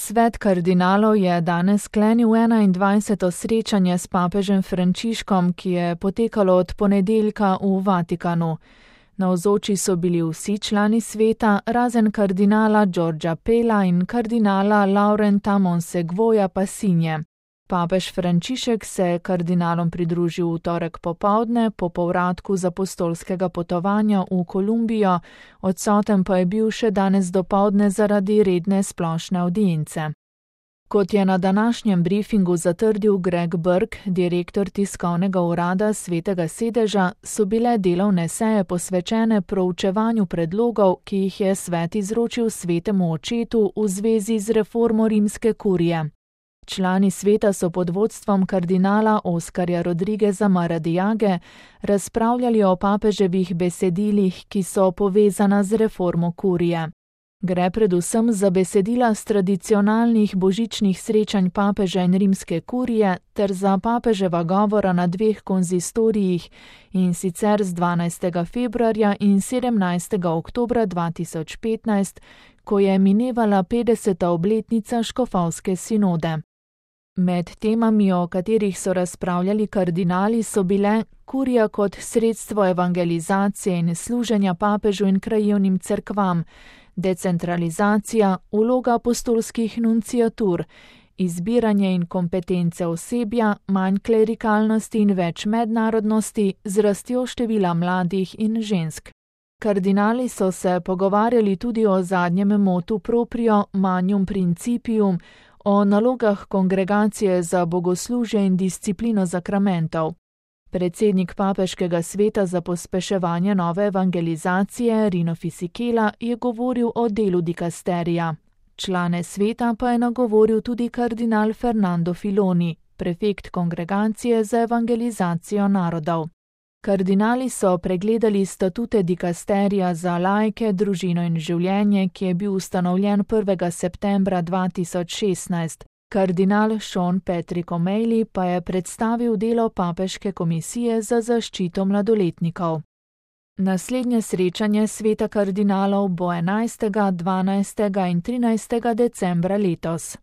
Svet kardinalov je danes sklenil 21. srečanje s papežem Frančiškom, ki je potekalo od ponedeljka v Vatikanu. Navzoči so bili vsi člani sveta, razen kardinala Giorgia Pella in kardinala Laurenta Monsegvoja Passinje. Papež Frančišek se je kardinalom pridružil v torek popoldne po povratku z apostolskega potovanja v Kolumbijo, odsoten pa je bil še danes dopoldne zaradi redne splošne avdience. Kot je na današnjem briefingu zatrdil Greg Burke, direktor tiskovnega urada Svetega sedeža, so bile delovne seje posvečene proučevanju predlogov, ki jih je svet izročil svetemu očetu v zvezi z reformo rimske kurije. Člani sveta so pod vodstvom kardinala Oskarja Rodrigueza Maradiage razpravljali o papeževih besedilih, ki so povezana z reformo kurije. Gre predvsem za besedila z tradicionalnih božičnih srečanj papeža in rimske kurije ter za papeževa govora na 2 konzistorijih, in sicer z 12. februarja in 17. oktobra 2015, ko je minevala 50. obletnica škofovske sinode. Med temami, o katerih so razpravljali kardinali, so bile kurija kot sredstvo evangelizacije in služenja papežu in krajevnim cerkvam, decentralizacija, vloga apostolskih nunciatur, izbiranje in kompetence osebja, manj klerikalnosti in več mednarodnosti z rastjo števila mladih in žensk. Kardinali so se pogovarjali tudi o zadnjem motu proprio magnum principium, o nalogah kongregacije za bogoslužje in disciplino zakramentov. Predsednik papeškega sveta za pospeševanje nove evangelizacije Rino Fisichella je govoril o delu dikasterija. Člane sveta pa je nagovoril tudi kardinal Fernando Filoni, prefekt kongregacije za evangelizacijo narodov. Kardinali so pregledali statute dikasterija za laike, družino in življenje, ki je bil ustanovljen 1. septembra 2016. Kardinal Sean Patrick O'Malley pa je predstavil delo papeške komisije za zaščito mladoletnikov. Naslednje srečanje sveta kardinalov bo 11., 12. in 13. decembra letos.